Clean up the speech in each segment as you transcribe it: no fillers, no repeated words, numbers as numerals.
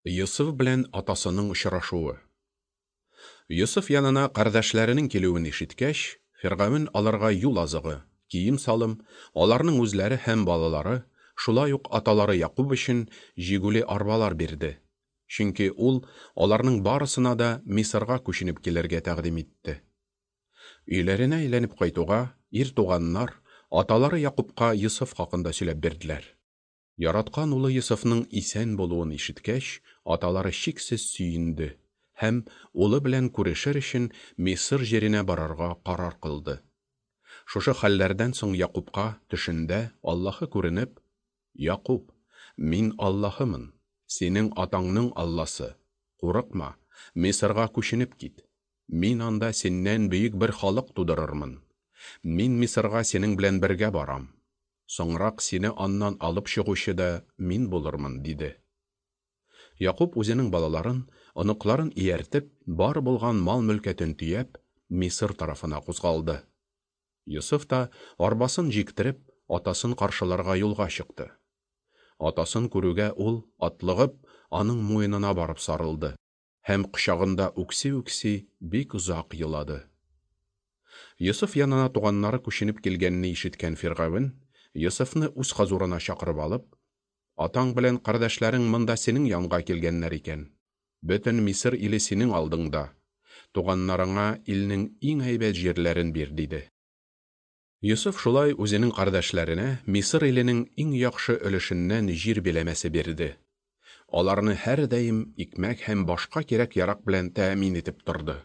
Йосыф белән атасының очрашуы. Йосыф янына кардәшләренең килүен ишеткәч, Фиргавен аларга юл азыгы, кием-салым, аларның үзләре һәм балалары, шулай ук аталары Якуб өчен җигүле арбалар бирде. Чөнки ул аларның барысына да Мисырга күченеп килергә тәкъдим итте. Өйләренә әйләнеп кайтуга, ир туганнар аталары Якубка Йосыф хакында сөйләп бирделәр. Яраткан улы Йосыфның исән булуын ишеткәч, аталары чиксез сөенде һәм улы белән күрешер өчен Мисыр җиренә барырга карар кылды. Шушы хәлләрдән соң Якубка төшендә Аллаһы күренеп: "Якуб, мин Аллаһымын, синең атаңның Алласы. Курыкма, Мисырга күченеп кит. Мин анда синнән бөек бер халык тудырырмын. Мин Мисырга синең белән бергә барам. Соңрак сине аннан алып чыгучы да мин булырмын", диде. Якуб үзенең балаларын, оныкларын ияртеп, бар булган мал-мөлкәтен төяп, Мисыр тарафына кузгалды. Йосыф та арбасын җиктереп, атасын каршыларга юлга чыкты. Атасын күрүгә ул, атлыгып, аның муенына барып сарылды һәм кочагында үкси-үкси бик озак елады. Йосыф янына туганнары күченеп килгәнне ишеткән Фиргавен, Йосыфны үз хозурына чакырып алып: "Атаң белән кардәшләрең монда синең янга килгәннәр икән. Бөтен Мисыр иле синең алдыңда. Туганнарыңа илнең иң әйбәт җирләрен бир", диде. Йосыф шулай үзенең кардәшләренә Мисыр иленең иң яхшы өлешеннән җир биләмәсе бирде. Аларны һәрдаим икмәк һәм башка кирәк-ярак белән тәэмин итеп торды.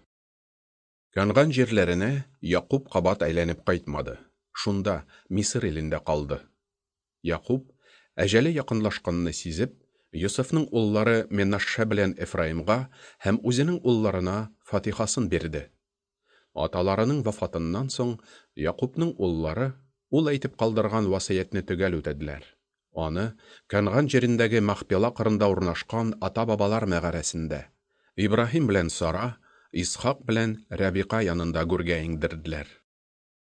Кәнган җирләренә Якуб кабат әйләнеп кайтмады, шунда, Мисыр илендә калды. Якуб, әҗәле якынлашканны сизеп, Йосыфның уллары Менашше белән Эфраимга һәм үзенең улларына фатихасын бирде. Аталарының вафатыннан соң Якубның уллары ул әйтеп калдырган васыятьне төгәл үтәделәр. Аны Кәнган җирендәге Махпела кырында урнашкан ата-бабалар мәгарәсендә Ибраһим белән Сара, Исхак белән Рәбика янында гүргә иңдерделәр.